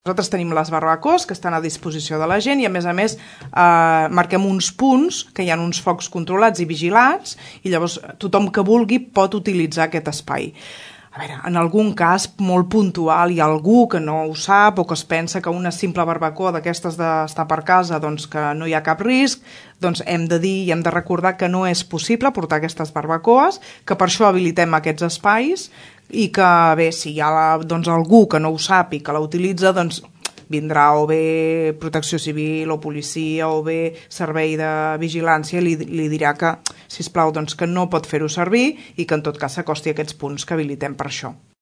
Nosaltres tenim les barbacoes que estan a disposició de la gent i, a més, marquem uns punts que hi ha uns focs controlats i vigilats i llavors tothom que vulgui pot utilitzar aquest espai. A veure, en algun cas molt puntual hi ha algú que no ho sap o que es pensa que una simple barbacoa d'aquestes d'estar per casa doncs que no hi ha cap risc, doncs hem de dir i hem de recordar que no és possible portar aquestes barbacoes, que per això habilitem aquests espais i que, bé, si hi ha algú que no ho sap i que la utilitza, doncs vindrà o bé Protecció Civil o policia o bé servei de vigilància i li dirà que, sisplau, doncs que no pot fer-ho servir i que en tot cas s'acosti a aquests punts que habilitem per això.